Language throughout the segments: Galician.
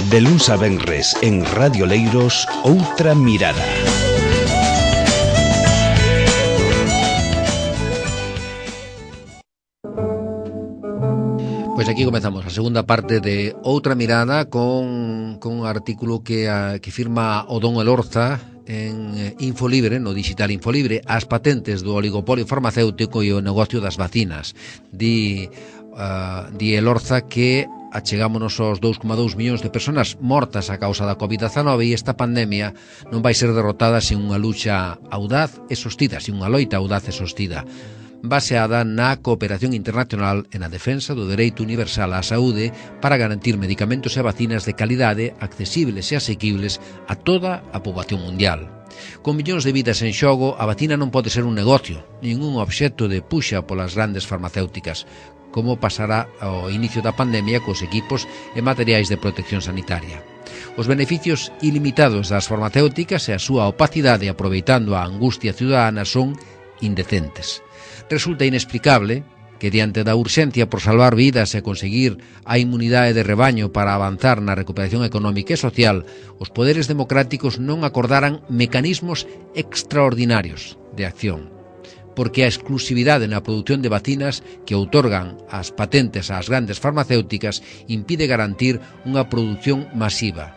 De luns a venres en Radio Leiros, Outra Mirada. Pois aquí comezamos a segunda parte de Outra Mirada con un artículo que firma o don Elorza en Infolibre, no digital Infolibre, as patentes do oligopolio farmacéutico e o negocio das vacinas. Di Elorza que achegámonos aos 2,2 millóns de persoas mortas a causa da COVID-19 e esta pandemia non vai ser derrotada sen unha lucha audaz e sostida, sen unha loita audaz e sostida, baseada na cooperación internacional e na defensa do dereito universal á saúde para garantir medicamentos e vacinas de calidade, accesibles e asequibles a toda a poboación mundial. Con millóns de vidas en xogo, a vacina non pode ser un negocio, nin un obxecto de puxa polas grandes farmacéuticas, como pasará ao inicio da pandemia cos equipos e materiais de protección sanitaria. Os beneficios ilimitados das farmacéuticas e a súa opacidade aproveitando a angustia ciudadana son indecentes. Resulta inexplicable que, diante da urxencia por salvar vidas e conseguir a inmunidade de rebaño para avanzar na recuperación económica e social, os poderes democráticos non acordaran mecanismos extraordinarios de acción, porque a exclusividade na produción de vacinas que outorgan as patentes ás grandes farmacéuticas impide garantir unha produción masiva.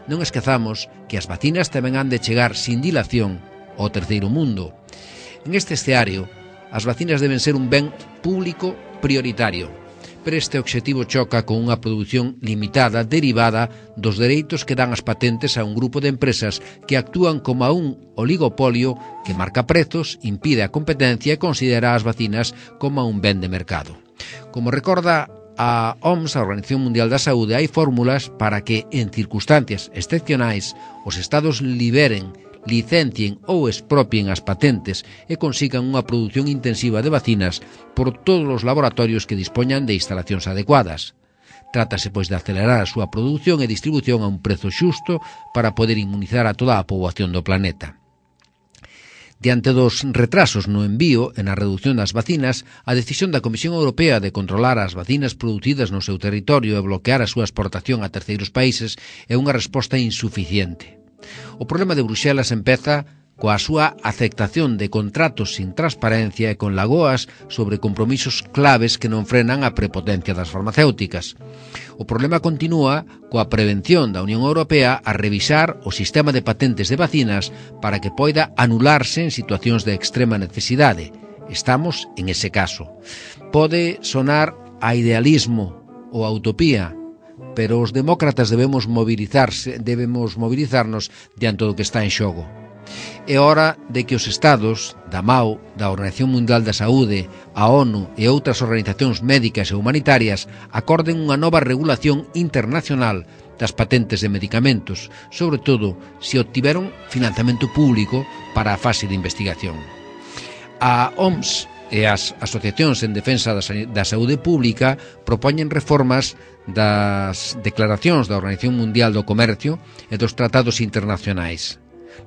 Non esquezamos que as vacinas tamén han de chegar sin dilación ao terceiro mundo. En este escenario, as vacinas deben ser un ben público prioritario, pero este obxectivo choca con unha produción limitada derivada dos dereitos que dan as patentes a un grupo de empresas que actúan como a un oligopolio que marca prezos, impide a competencia e considera as vacinas como a un ben de mercado. Como recorda a OMS, a Organización Mundial da Saúde, hai fórmulas para que, en circunstancias excepcionais, os estados liberen, licencien ou expropien as patentes e consigan unha produción intensiva de vacinas por todos os laboratorios que dispoñan de instalacións adecuadas. Trátase, pois, de acelerar a súa produción e distribución a un prezo xusto para poder inmunizar a toda a poboación do planeta. Diante dos retrasos no envío e na reducción das vacinas, a decisión da Comisión Europea de controlar as vacinas producidas no seu territorio e bloquear a súa exportación a terceiros países é unha resposta insuficiente. O problema de Bruxelas empeza coa súa aceptación de contratos sin transparencia e con lagoas sobre compromisos claves que non frenan a prepotencia das farmacéuticas. O problema continúa coa prevención da Unión Europea a revisar o sistema de patentes de vacinas para que poida anularse en situacións de extrema necesidade. Estamos en ese caso. Pode sonar a idealismo ou a utopía, pero os demócratas debemos mobilizarnos diante do que está en xogo. É hora de que os estados, da MAO, da Organización Mundial da Saúde, a ONU e outras organizacións médicas e humanitarias acorden unha nova regulación internacional das patentes de medicamentos, sobre todo se obtiveron financiamento público para a fase de investigación. A OMS e as asociacións en defensa da saúde pública propoñen reformas das declaracións da Organización Mundial do Comercio e dos tratados internacionais.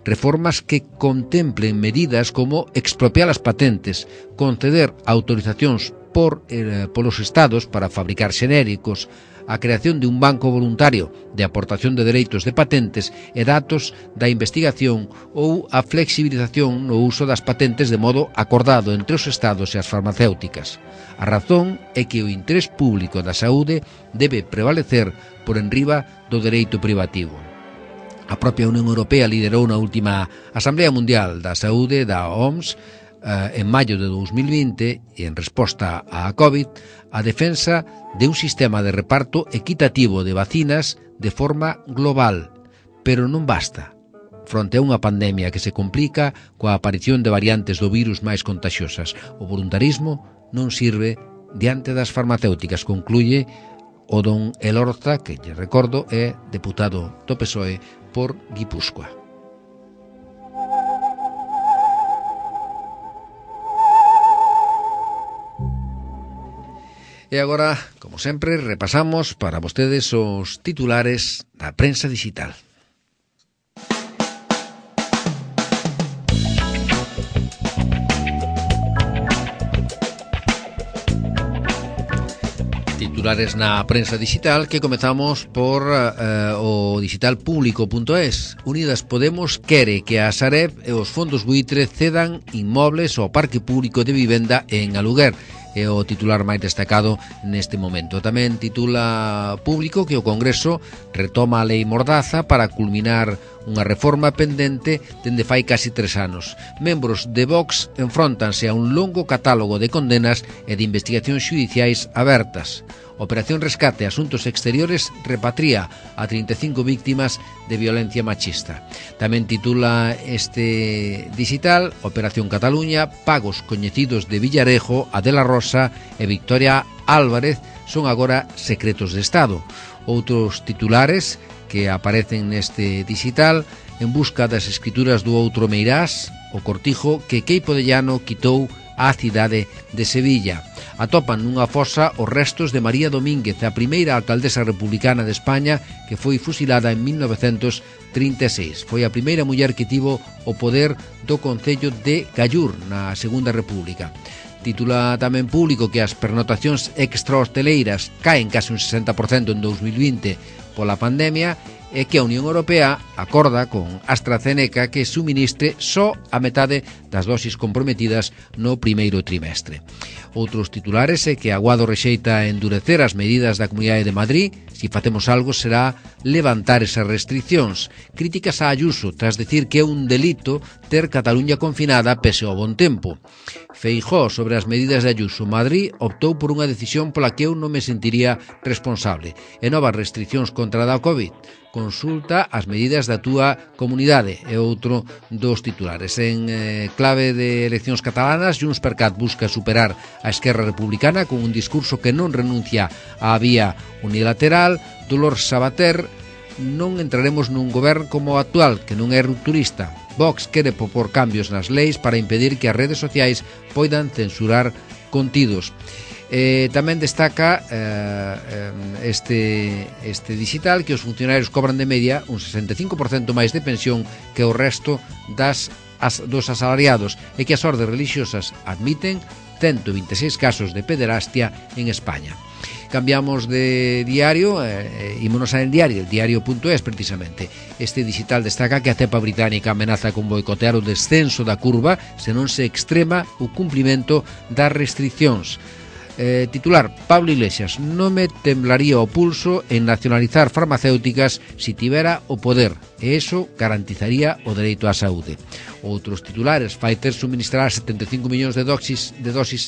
Reformas que contemplen medidas como expropiar as patentes, conceder autorizacións polos estados para fabricar xenéricos, a creación de un banco voluntario de aportación de dereitos de patentes e datos da investigación ou a flexibilización no uso das patentes de modo acordado entre os estados e as farmacéuticas. A razón é que o interés público da saúde debe prevalecer por enriba do dereito privativo. A propia Unión Europea liderou na última Asamblea Mundial da Saúde da OMS en maio de 2020 e en resposta á COVID a defensa de un sistema de reparto equitativo de vacinas de forma global, pero non basta. Fronte a unha pandemia que se complica coa aparición de variantes do virus máis contaxiosas, o voluntarismo non sirve diante das farmacéuticas, concluye o don Elorza, que lle recordo é deputado do PSOE por Guipúzcoa. E agora, como sempre, repasamos para vostedes os titulares da prensa digital. titulares na prensa digital, que comezamos por o digitalpublico.es. Unidas Podemos quere que a Sareb e os fondos buitre cedan inmobles ao parque público de vivenda en aluguer. É o titular máis destacado neste momento. Tamén titula Público que o Congreso retoma a lei Mordaza para culminar unha reforma pendente dende fai casi 3 anos. Membros de Vox enfróntanse a un longo catálogo de condenas e de investigacións xudiciais abertas. Operación Rescate Asuntos Exteriores repatria a 35 víctimas de violencia machista. Tamén titula este digital Operación Cataluña, pagos coñecidos de Villarejo, Adela Rosa e Victoria Álvarez son agora secretos de Estado. Outros titulares que aparecen neste digital: en busca das escrituras do outro Meirás, o cortijo que Queipo de Llano quitou á cidade de Sevilla. Atopan nunha fosa os restos de María Domínguez, a primeira alcaldesa republicana de España que foi fusilada en 1936. Foi a primeira muller que tivo o poder do Concello de Gallur na Segunda República. Titula tamén Público que as pernotacións extrahosteleiras caen case un 60% en 2020 pola pandemia e que a Unión Europea acorda con AstraZeneca que suministre só a metade das dosis comprometidas no primeiro trimestre. Outros titulares é que Aguado rexeita endurecer as medidas da Comunidade de Madrid. Si facemos algo será levantar esas restriccións. Críticas a Ayuso tras decir que é un delito ter Cataluña confinada pese ao bon tempo. Feijóo sobre as medidas de Ayuso. Madrid optou por unha decisión pola que eu non me sentiría responsable. E novas restriccións contra a COVID. Consulta as medidas da túa comunidade, é outro dos titulares. En clave de eleccións catalanas, JxCat busca superar a Esquerra Republicana con un discurso que non renuncia á vía unilateral. Dolors Sabater: non entraremos nun goberno como o actual, que non é rupturista. Vox quere propor cambios nas leis para impedir que as redes sociais poidan censurar contidos. Tamén destaca este digital que os funcionarios cobran de media un 65% máis de pensión que o resto dos asalariados e que as ordes religiosas admiten 126 casos de pederastia en España. Cambiamos de diario, ímonos al diario, el diario.es precisamente. Este digital destaca que a cepa británica amenaza con boicotear o descenso da curva se non se extrema o cumprimento das restriccións. Titular Pablo Iglesias: non me temblaría o pulso en nacionalizar farmacéuticas si tivera o poder e eso garantizaría o dereito á saúde. Outros titulares: Pfizer suministrará 75 millóns de dosis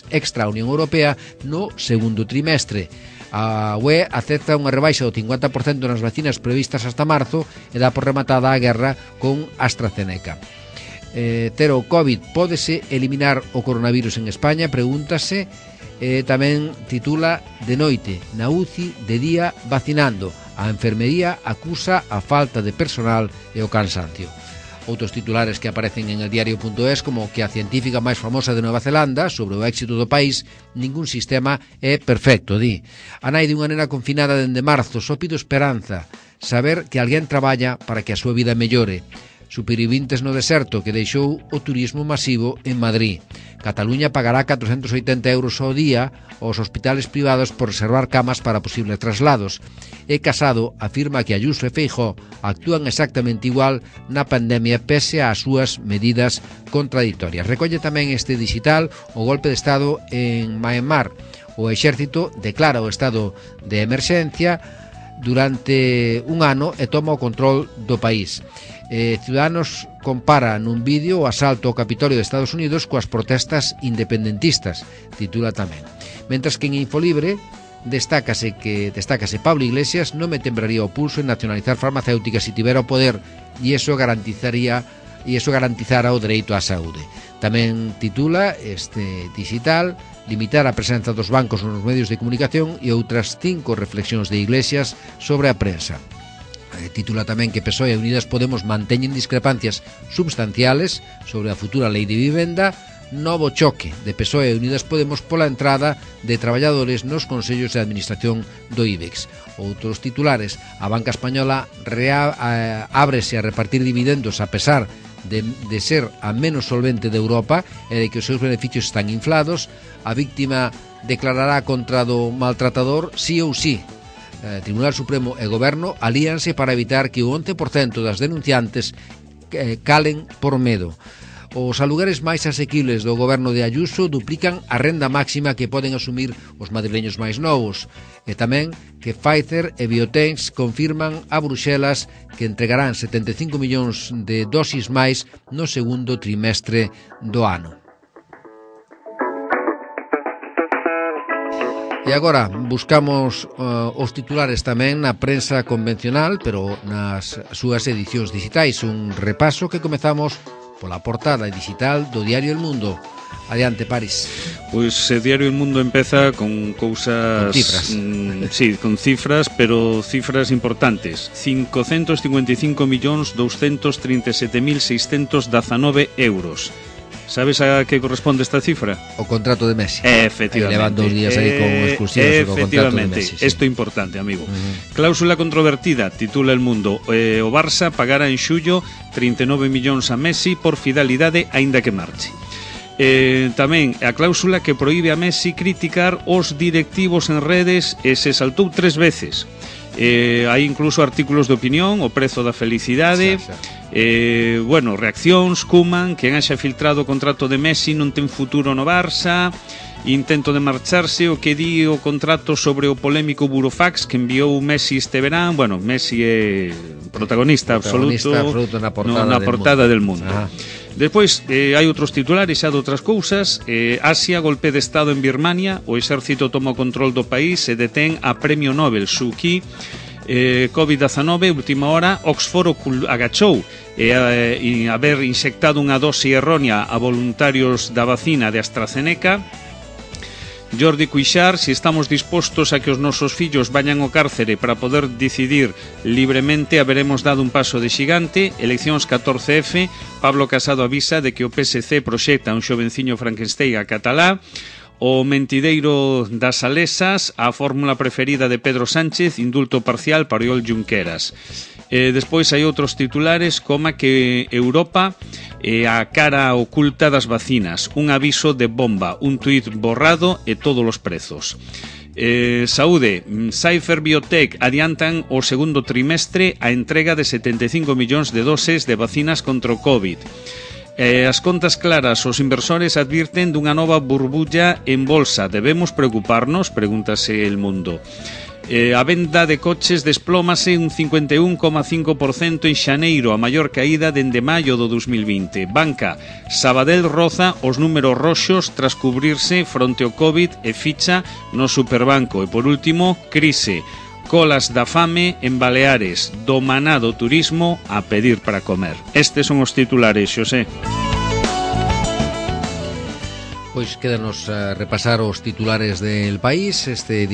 extra á Unión Europea no segundo trimestre. A UE acepta unha rebaixa do 50% nas vacinas previstas hasta marzo e dá por rematada a guerra con AstraZeneca. Cero COVID: pódese eliminar o coronavirus en España? Pregúntase. Tamén titula De noite na UCI, de día vacinando. A enfermería acusa a falta de personal e o cansancio. Outros titulares que aparecen en el diario.es, como que a científica máis famosa de Nova Zelanda sobre o éxito do país: ningún sistema é perfecto, di. A nai dunha nena confinada dende marzo só pido esperanza, saber que alguén traballa para que a súa vida mellore. Supervivintes no deserto que deixou o turismo masivo en Madrid. Cataluña pagará 480 euros ao día aos hospitales privados por reservar camas para posibles traslados. E Casado afirma que Ayuso e Feijóo actúan exactamente igual na pandemia pese ás súas medidas contradictorias. Recolle tamén este digital o golpe de Estado en Myanmar. O exército declara o estado de emerxencia durante un ano e toma o control do país. Ciudadanos compara nun vídeo o asalto ao Capitolio de Estados Unidos coas protestas independentistas, titula tamén. Mentras que en Infolibre destácase Pablo Iglesias: non me temblaría o pulso en nacionalizar farmacéuticas se tivera o poder e iso garantizara o dereito á saúde. Tamén titula este digital limitar a presenza dos bancos nos medios de comunicación e outras 5 reflexións de Iglesias sobre a prensa. Titula tamén que PSOE e Unidas Podemos manteñen discrepancias substanciales sobre a futura lei de vivenda. Novo choque de PSOE e Unidas Podemos pola entrada de traballadores nos consellos de administración do IBEX. Outros titulares: a banca española ábrese a repartir dividendos a pesar de ser a menos solvente de Europa e de que os seus beneficios están inflados. A víctima declarará contra do maltratador sí ou sí. Tribunal Supremo e Goberno alíanse para evitar que o 11% das denunciantes calen por medo. Os alugueres máis asequibles do goberno de Ayuso duplican a renda máxima que poden asumir os madrileños máis novos. E tamén que Pfizer e Biotex confirman a Bruxelas que entregarán 75 millóns de dosis máis no segundo trimestre do ano. E agora buscamos os titulares tamén na prensa convencional, pero nas súas edicións digitais. Un repaso que comezamos pola portada digital do diario El Mundo. Adiante, París. Pois o diario El Mundo empeza con cousas... Con cifras. Sí, con cifras, pero cifras importantes. 555.237.619 euros. Sabes a que corresponde esta cifra? O contrato de Messi. Efectivamente. Levan 2 días aí con exclusivas o contrato de Messi. Sí. Isto é importante, amigo. Cláusula controvertida, titula El Mundo. O Barça pagará en xullo 39 millóns a Messi por fidelidade aínda que marche. Tamén a cláusula que proíbe a Messi criticar os directivos en redes e se saltou 3 veces. Hai incluso artículos de opinión, o prezo da felicidade. Bueno, reaccións, Koeman, quen haxa filtrado o contrato de Messi non ten futuro no Barça, intento de marcharse, o que di o contrato sobre o polémico burofax que enviou Messi este verán. Bueno, Messi é protagonista absoluto na portada del mundo. Despois hai outros titulares xa de outras cousas. Asia, golpe de estado en Birmania, o exército toma o control do país e detén a premio Nobel Suu Kyi. COVID-19, última hora, Oxford agachou e haber inxectado unha dose errónea a voluntarios da vacina de AstraZeneca. Jordi Cuixart, si estamos dispostos a que os nosos fillos vayan ao cárcere para poder decidir libremente, haberemos dado un paso de xigante. Eleccións 14F, Pablo Casado avisa de que o PSC proxecta un xovenciño Frankenstein a catalá. O mentideiro das Salesas, a fórmula preferida de Pedro Sánchez, indulto parcial para Oriol Junqueras. Despois hai outros titulares como que Europa a cara oculta das vacinas, un aviso de bomba, un tuit borrado e todos os prezos. Saúde, Pfizer Biotech adiantan o segundo trimestre a entrega de 75 millóns de doses de vacinas contra o COVID. As contas claras, os inversores advirten dunha nova burbulla en bolsa. Debemos preocuparnos? Pregúntase El Mundo. A venda de coches desplómase un 51,5% en xaneiro, a maior caída dende maio do 2020. Banca, Sabadell roza os números roxos tras cubrirse fronte ao COVID e ficha no Superbanco. E por último, crise. Colas da fame en Baleares, do maná do turismo a pedir para comer. Estes son os titulares, Xosé. Pois quédanos a repasar os titulares del País. Este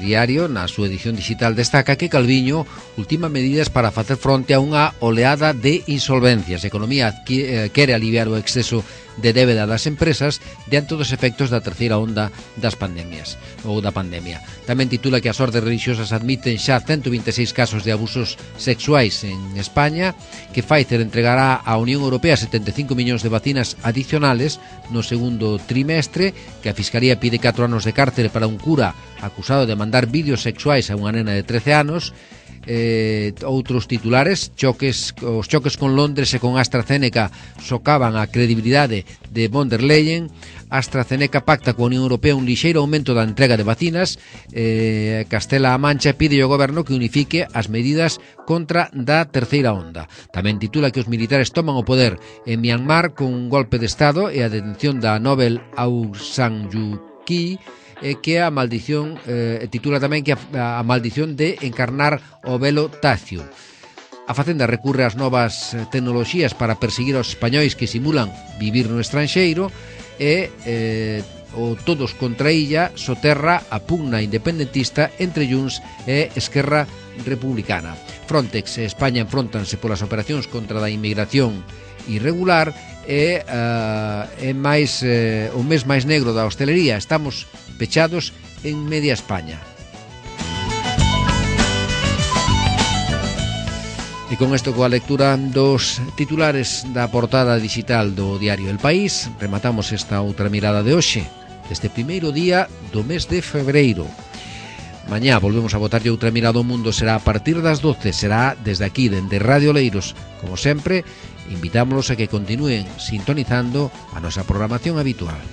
diario, na súa edición digital, destaca que Calviño ultima medidas para facer fronte a unha oleada de insolvencias. A economía quere aliviar o exceso de débeda das empresas diante dos efectos da terceira onda das pandemias ou da pandemia. Tamén titula que as ordes religiosas admiten xa 126 casos de abusos sexuais en España, que Pfizer entregará á Unión Europea 75 millóns de vacinas adicionales no segundo trimestre, que a Fiscalía pide 4 anos de cárcere para un cura acusado de mandar vídeos sexuais a unha nena de 13 anos. Outros titulares, os choques con Londres e con AstraZeneca socavan a credibilidade de von der Leyen. AstraZeneca pacta coa Unión Europea un lixeiro aumento da entrega de vacinas. Castela-A Mancha pide ao goberno que unifique as medidas contra da terceira onda. Tamén titula que os militares toman o poder en Myanmar con un golpe de estado e a detención da Nobel Aung San Suu Kyi, que a maldición, titula tamén que a maldición de encarnar o velo tacio. A Facenda recurre ás novas tecnoloxías para perseguir aos españois que simulan vivir no estranxeiro e o Todos contra Illa soterra a pugna independentista entre Junts e Esquerra Republicana. Frontex e España enfróntanse polas operacións contra a inmigración irregular e máis o mes máis negro da hostelería. Estamos pechados en media España. E con isto, coa lectura dos titulares da portada digital do diario El País, rematamos esta outra mirada de hoxe. deste primeiro día do mes de febreiro. Mañá volvemos a botarlle outra mirada ao mundo, será a partir das 12, será desde aquí, dende Radio Oleiros. Como sempre, invitámolos a que continúen sintonizando a nosa programación habitual.